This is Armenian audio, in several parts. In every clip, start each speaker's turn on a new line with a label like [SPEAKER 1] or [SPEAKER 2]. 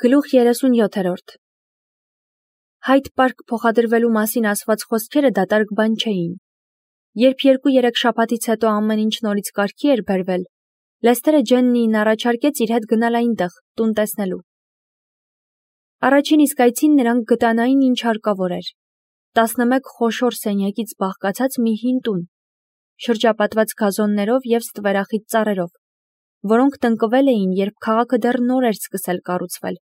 [SPEAKER 1] Գլուխ 37 Հայդ Պարկ փոխադրվելու մասին ասված խոսքերը դատարկ բան չէին։ Երբ 2-3 շաբաթից հետո ամեն ինչ նորից կարգի էր բերվել, Լեսթերը Ջեննիին առաջարկեց իր հետ գնալ այնտեղ, տուն տեսնելու։ Առաջին իսկ այցին նրանք գտան այն, ինչ հարկավոր էր։ 11 խոշոր սենյակից բաղկացած մի հին տուն, շրջապատված գազոններով և ստվերախիտ ծառերով, որոնք տնկվել էին, երբ քաղաքը դեռ նոր էր սկսել կառուցվել։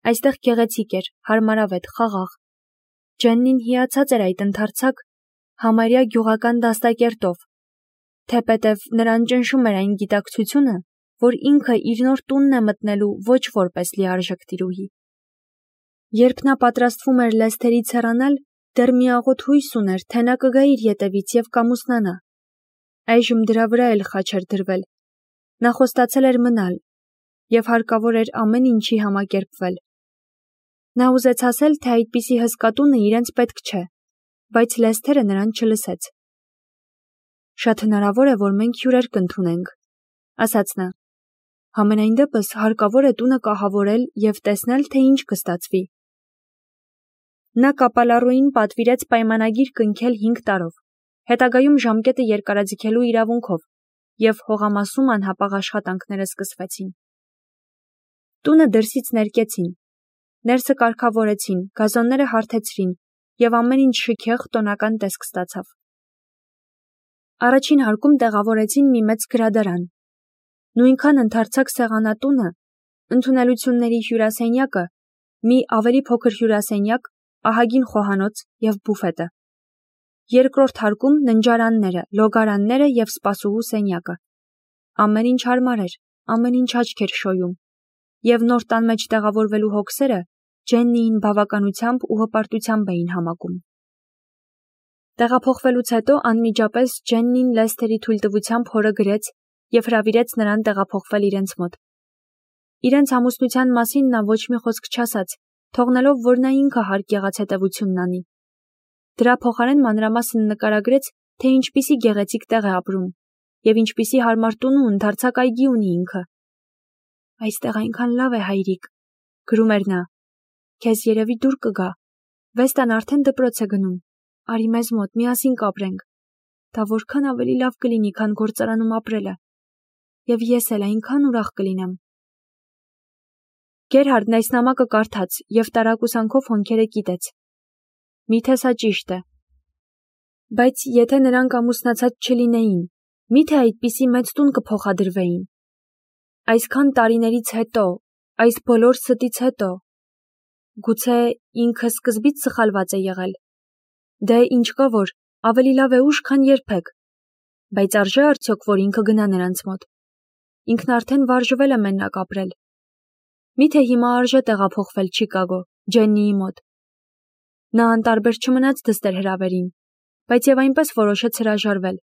[SPEAKER 1] Այստեղ գեղեցիկ էր, հարմարավետ, խաղաղ։ Ջեննին հիացած էր այդ ընդարձակ, համարյա գյուղական դաստակերտով, թեպետև նրան ճնշում էր այն գիտակցությունը, որ ինքը իր նոր տունն է մտնելու ոչ որպես լիարժեք տիրուհի։ Երբ նա պատրաստվում էր Լեսթերից հեռանալ, դեռ մի աղոտ հույս ուներ, թե նա կգա իր ետևից և կամուսնանա։ Այժմ դրա վրա էլ խաչ էր դրվել։ Նա խոստացել էր մնալ, և հարկավոր էր ամեն ինչի համակերպվել։ Նա ուզեց ասել, թե այդպիսի հսկա տունը իրենց պետք չէ, բայց Լեսթերը նրան չլսեց։ Շատ հնարավոր է, որ մենք հյուրեր կընդունենք, ասաց նա։ Համենայն դեպս հարկավոր է տունը կահավորել և տեսնել, թե ինչ կստացվի։ Նա կապալառուին պատվիրեց պայմանագիր կնքել 5 տարով, հետագայում ժամկետը երկարաձգելու իրավունքով, և հողամասում անհապաղ աշխատանքները սկսվեցին։ Տունը դրսից ներկեցին, ներսը կարգավորեցին, գազոնները հարթեցրին, և ամեն ինչ շքեղ տոնական տեսք ստացավ։ Առաջին հարկում տեղավորեցին մի մեծ գրադարան։ Նույնքան ընդարձակ սեղանատունը, ընդունելությունների հյուրասենյակը, մի ավելի փոքր հյուրասենյակ, ահագին խոհանոց և բուֆետը։ Երկրորդ հարկում ննջարանները, լոգարանները և սպասուհու սենյակը։ Ամեն ինչ հարմար էր, ամեն ինչ աչք էր շոյում, և նոր տան մեջ տեղավորվելու հոգսերը Ջեննիին բավականությամբ ու հպարտությամբ էին համակում։ Տեղափոխվելուց հետո անմիջապես Ջեննին Լեսթերի թույլտվությամբ հորը գրեց և հրավիրեց նրան տեղափոխվել իրենց մոտ։ Իրենց ամուսնության մասին նա ոչ մի խոսք չասաց, թողնելով, որ նա ինքը հարկ եղած հետևությունն անի։ Դրա փոխարեն մանրամասն նկարագրեց, թե ինչպիսի գեղեցիկ տեղ է ապրում, և ինչպիսի հարմար տուն ու ընդարձակ այգի ունի ինքը։ Այստեղ այնքան լավ է, հայրիկ, գրում էր նա։ Քեզ երևի դուր կգա։ Վեստան արդեն դպրոց է գնում։ Արի մեզ մոտ, միասին կապրենք։ Դա որքան ավելի լավ կլինի, քան գործարանում ապրելը։ Եվ ես էլ այնքան ուրախ կլինեմ։ Գերհարդն այս նամակը կարդաց և տարակուսանքով հոնքերը կիտեց։ Միթե սա ճիշտ է։ Բայց եթե նրանք ամուսնացած չլինեին, միթե այդպիսի մեծ տուն կփոխադրվեին։ Այսքան տարիներից հետո, այս բոլոր ստից հետո։ Գուցե ինքը սկզբից սխալված է եղել։ Դե ինչ կա որ, ավելի լավ է ուշ, քան երբեք։ Բայց արժե արդյոք, որ ինքը գնա նրանց մոտ։ Ինքն արդեն վարժվել է մենակ ապրել։ Միթե հիմա արժե տեղափոխվել Չիկագո, Ջեննիի մոտ։ Նա անտարբեր չմնաց դստեր հրավերին, բայց և այնպես որոշեց հրաժարվել։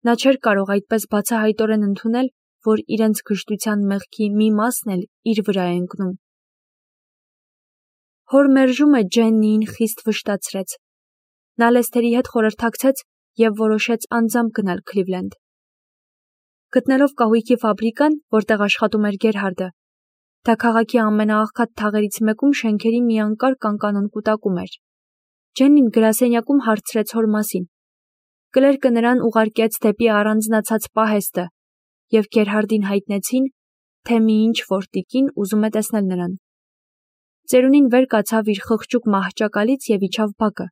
[SPEAKER 1] Նա չէր կարող այդպես բացահայտորեն ընդունել, որ իրենց գժտության մեղքի մի մասն էլ իր վրա է ընկնում։ Հոր մերժումը Ջեննիին խիստ վշտացրեց։ Նա Լեսթերի հետ խորհրդակցեց և որոշեց անձամբ գնալ Քլիվլենդ։ Գտնելով կահույքի ֆաբրիկան, որտեղ աշխատում էր Գերհարդը, դա քաղաքի ամենաաղքատ թաղերից մեկում շենքերի մի անկարգ անկանոն կուտակում էր, Ջեննին գրասենյակում հարցրեց հոր մասին։ Կլերկը նրան ուղարկեց դեպի առանձնացած պահեստը, և Գերհարդին հայտնեցին, թե մի ինչ-որ տիկին ուզում է տեսնել նրան։ Ծերունին վեր կացավ իր խղճուկ մահճակալից և իջավ բակը,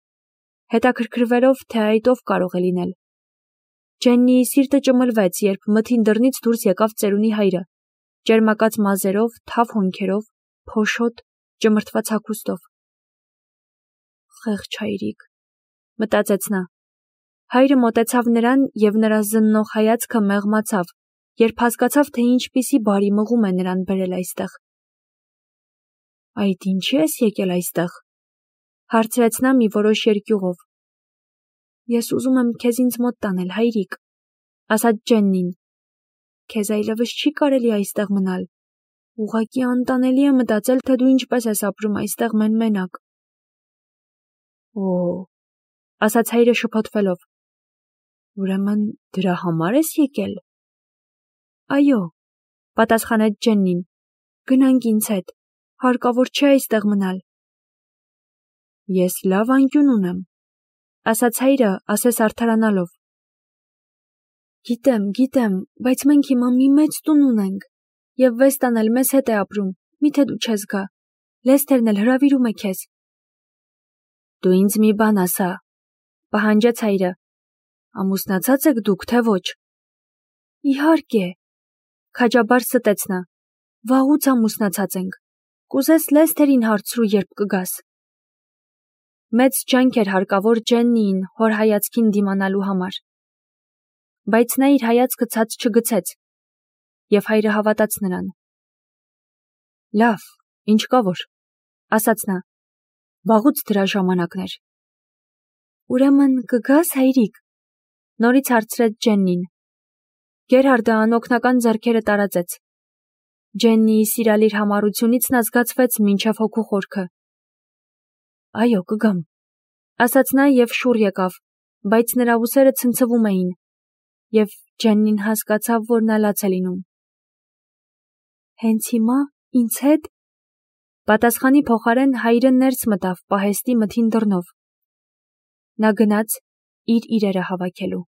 [SPEAKER 1] հետաքրքրվելով, թե այդ ով կարող է լինել։ Ջեննիի սիրտը ճմլվեց, երբ մթին դռնից դուրս եկավ ծերունի հայրը, ճերմակած մազերով, թավ հոնքերով, փոշոտ, ճմրթված հագուստով։ Խեղճ հայրիկ, մտածեց նա։ Հայրը մոտեցավ նրան, և նրա զննող հայացքը մեղմացավ, երբ հասկացավ, թե ինչպիսի բարի մղում է նրան բերել այստեղ։ Այդ ինչի՞ ես եկել այստեղ, հարցրեց նա մի որոշ երկյուղով։ Ես ուզում եմ քեզ ինձ մոտ տանել, հայրիկ, ասաց Ջեննին։ Քեզ այլևս չի կարելի այստեղ մնալ։ Ուղղակի անտանելի է մտածել, թե դու ինչպես ես ապրում այստեղ մեն-մենակ։ Օ, ասաց հայրը շփոթվելով։ Ուրեմն դրա համար ես եկել։ Այո, պատասխանեց Ջեննին։ Գնանք ինձ հետ։ Հարկավոր չէ այստեղ մնալ։ Ես լավ անկյուն ունեմ, ասաց հայրը, ասես արդարանալով։ Գիտեմ, բայց մենք հիմա մի մեծ տուն ունենք, և Վեստան էլ մեզ հետ է ապրում, միթե դու չես գա, Լեսթերն էլ հրավիրում է քեզ։ Դու ինձ մի բան ասա, պահանջեց հայրը, ամուսնացած եք դուք, թե ոչ։ Իհարկե, քաջաբար ստեց նա, վաղուց ամուսնացած ենք, կուզես Լեսթերին հարցրու, երբ կգաս։ Մեծ ջանք էր հարկավոր Ջեննիին հոր հայացքին դիմանալու համար, բայց նա իր հայացքը ցած չգցեց, և հայրը հավատաց նրան։ Լավ, ինչ կա որ, ասաց նա, վաղուց դրա ժամանակն էր։ Ուրեմն կգաս, հայրիկ, նորից հարցրեց Ջեննին։ Գերհարդը անօգնական ձեռքերը տարածեց։ Ջեննիի սիրալիր համառությունից նա զգացվեց մինչև հոգու խորքը։ Այո, կգամ, ասաց նա և շուռ եկավ, բայց նրա ուսերը ցնցվում էին, և Ջեննին հասկացավ, որ նա լաց է լինում։ Հենց հիմա, ինձ հետ, պատասխանի փոխարեն հայրը ներս մտավ պահեստի մթին դռնով։ Նա գնաց իր իրերը հավաքելու։